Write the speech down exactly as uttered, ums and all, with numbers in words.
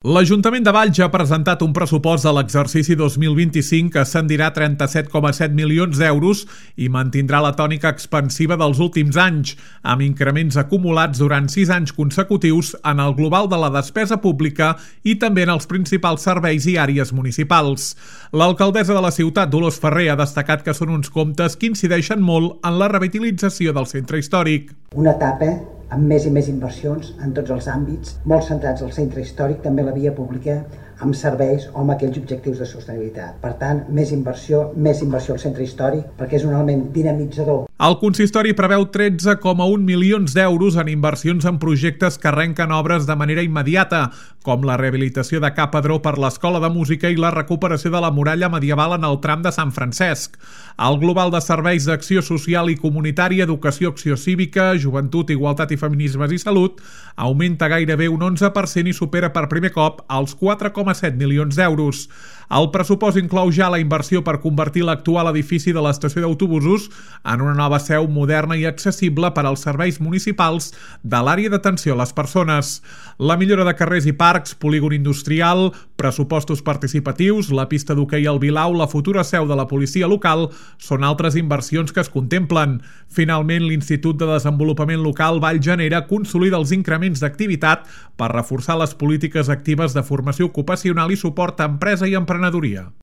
L'Ajuntament de Valls ha presentat un pressupost de l'exercici dos mil vint-i-cinc que ascendirà a trenta-set coma set milions d'euros i mantindrà la tònica expansiva dels últims anys, amb increments acumulats durant sis anys consecutius en el global de la despesa pública i també en els principals serveis i àrees municipals. L'alcaldessa de la ciutat, Dolors Ferrer, ha destacat que són uns comptes que incideixen molt en la revitalització del centre històric. Una etapa amb més i més inversions en tots els àmbits, molt centrats al centre històric, també la via pública, amb serveis o amb aquells objectius de sostenibilitat. Per tant, més inversió, més inversió al centre històric, perquè és un element dinamitzador. El consistori preveu tretze coma un milions d'euros en inversions en projectes que arrenquen obres de manera immediata, com la rehabilitació de Ca Padró per l'Escola de Música i la recuperació de la muralla medieval en el tram de Sant Francesc. El global de serveis d'acció social i comunitària, educació, acció cívica, joventut, igualtat i feminismes i salut augmenta gairebé un onze per cent i supera per primer cop els quatre coma set milions d'euros. El pressupost inclou ja la inversió per convertir l'actual edifici de l'estació d'autobusos en una nova seu moderna i accessible per als serveis municipals de l'àrea d'atenció a les persones. La millora de carrers i parcs, polígon industrial, pressupostos participatius, la pista d'hoquei al Vilau, la futura seu de la policia local són altres inversions que es contemplen. Finalment, l'Institut de Desenvolupament Local Vallgenera consolida els increments d'activitat per reforçar les polítiques actives de formació ocupacional i suport a empresa i emprenedoria.